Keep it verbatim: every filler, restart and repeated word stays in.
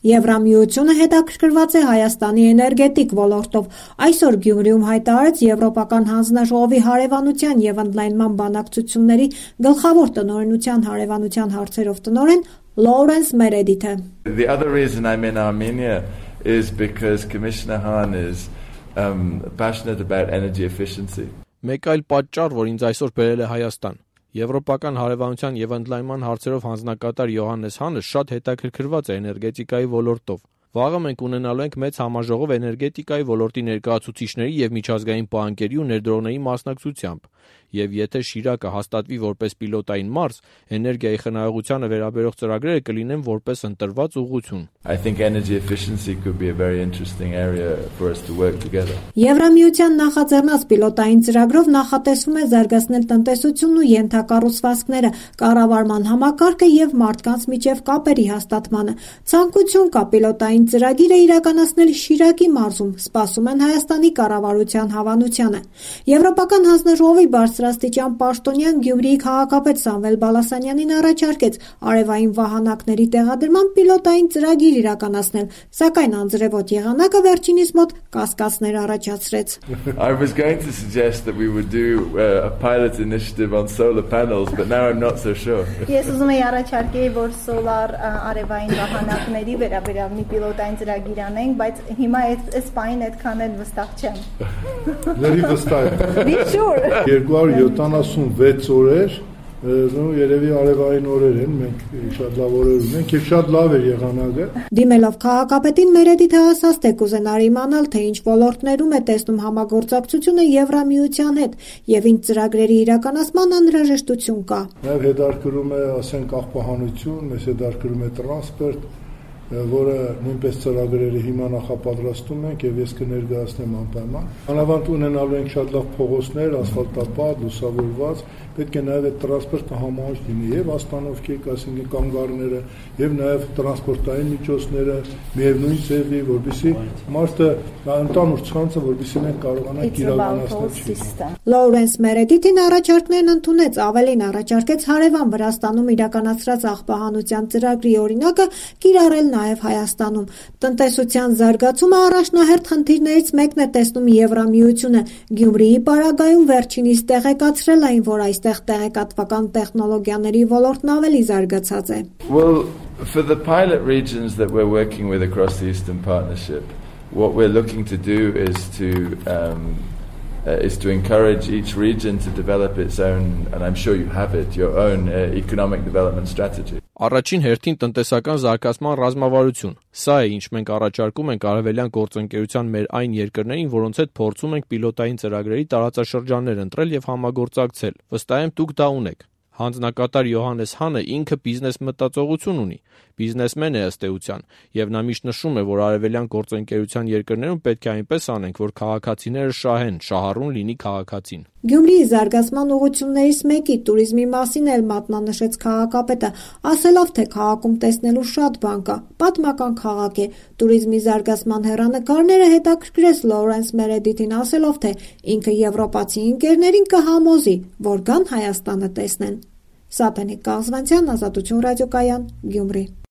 Եվրամիությունը հետաքրքրված է Հայաստանի էներգետիկ ոլորտով։ Այսօր Գյումրիում հայտարարեց Եվրոպական հանձնաժողովի հարևանության և ընդլայնման բանակցությունների գլխավոր տնօրենության հարևանության հարցերով տնօրեն Լորենս Մերեդիթը։ The other reason I'm in Armenia is because Commissioner Hahn is um, passionate about energy efficiency. Մեկ այլ պատճառ, որ ինձ այսօր բերել է Հայաստան։ Եվրոպական հարևանության և ընդլայնման հարցերով հանձնակատար Յոհաննես Հանը շատ հետաքրքրված է էներգետիկայի ոլորտով։ Վաղը մենք ունենալու ենք մեծ համաժողով էներգետիկայի ոլորտի ներկայացուցիչների և միջազգային բանկերի ու ներդրողների մասնակցությամբ, և եթե Շիրակը հաստատվի որպես պիլոտային մարզ, էներգիայի խնայողությանը վերաբերող ծրագրերը կլինեն որպես ընտրված ուղղություն։ I think energy efficiency could be a very interesting area for us to work together. Եվրամիության նախաձեռնած պիլոտային ծրագրով նախատեսվում է զարգացնել տնտեսությունն ու ենթակառուցվածքները, կառավարման համակարգը և մարդկանց միջև կապերի հաստատմանը։ Ցանկություն կա պիլոտային ծրագիրը իրականացնել Շիրակի մարզում, սպասում են Հայաստանի կառավարության հավանությանը։ Եվրոպական հանձնաժողովի բարձրաստիճան պաշտոնյան Գյումրիի քաղաքապետ Սամվել Բալասանյանին առաջարկեց արևային վահանակների տեղադրման պիլոտային ծրագիր իրականացնել, սակայն անձրևոտ եղանակը վերջինիս մոտ կասկածներ առաջացրեց։ I was going to suggest that we would do uh, a pilot initiative on solar panels, but now I'm not so sure. Ես ուզում եի առաջարկեի, որ սոլար արևային վահանակների վերաբերյալ մի պիլոտային ծրագիր անենք, բայց հիմա այս պահին այդքան էլ վստահ չեմ։ Ների վստահ եմ։ Be sure. երկու հարյուր յոթանասունվեց օրեր, նո երևի արևային օրեր են, մենք շատ լավ օրեր ունենք եւ շատ լավ է եղանակը։ Դիմելով քաղաքապետին Մերեդիթը ասաց, թե կուզենար իմանալ, թե ինչ ոլորտներում է տեսնում համագործակցությունը Եվրամիության հետ եւ ինչ ծրագրերի իրականացման անհրաժեշտություն կա։ Նաեւ հետարկում է, ասենք, աղբահանություն, մեզ հետարկում է տրանսպորտ, որը նույնպես ծրագրերը հիմա նախապատրաստում ենք եւ ես կներկայացնեմ անպայման։ Անավանդ ունենալու ենք շատ լավ փողոցներ, ասֆալտապատ, լուսավորված, պետք է նաեւ այդ տրանսպորտը համահունչ լինի եւ աստանովքի, ասենք, կանգառները եւ նաեւ տրանսպորտային միջոցները միևնույն ձևի, որովհետեւ մարդը ընդանուր ցանցը, որովհետեւ մենք կարողանանք իրականացնել։ Լորենս Մերեդիթին առաջարկներն ընդունեց, ավելին առաջարկեց հարևան Վրաստանում իրականացրած աղբահանության ծրագրի օրինակը կիրառել նաև Հայաստանում։ Տնտեսության զարգացումը առաջնահերթ խնդիրներից մեկն է տեսնում Եվրամիությունը։ Գյումրիի պարագայում վերջինիս տեղեկացրել այն, որ այստեղ տեղեկատվական տեխնոլոգիաների ոլորտն ավելի զարգացած է։ Well, for the pilot regions that we're working with across the Eastern Partnership, what we're looking to do is to um, uh, is to encourage each region to develop its own, and I'm sure you have it, your own uh, economic development strategy. Առաջին հերթին տնտեսական զարգացման ռազմավարություն։ Սա է, ինչ մենք առաջարկում ենք արևելյան գործընկերության մեր այն երկրներին, որոնց հետ փորձում ենք պիլոտային ծրագրերի տարածաշրջաններ ընտրել եւ համագործակցել։ Վստահ եմ դուք դա ունեք։ Հանձնակատար Յոհաննես Հանը ինքը բիզնես մտածողություն ունի, բիզնեսմեն է ըստ էության, եւ նա միշտ նշում է, որ արևելյան գործընկերության երկրներում պետք է այնպես անենք, որ քաղաքացիները շահեն, շահառուն լինի քաղաքացին։ Գյումրիի զարգացման ուղղություններից մեկի տուրիզմի մասին էլ մատնանշեց քաղաքապետը, ասելով, թե քաղաքում տեսնելու շատ բան կա, պատմական քաղաք է։ Տուրիզմի զարգացման հեռանկարները հետաքրքրեց Լորենս Մերեդիթին, ասելով, թե ինքը եվրոպացի ընկերներին կհամոզի, որ գան Հայաստանը տեսնեն։ Սատենիկ Կաղզվանցյան, Ազատություն ռադիոկայան, Գյումրի։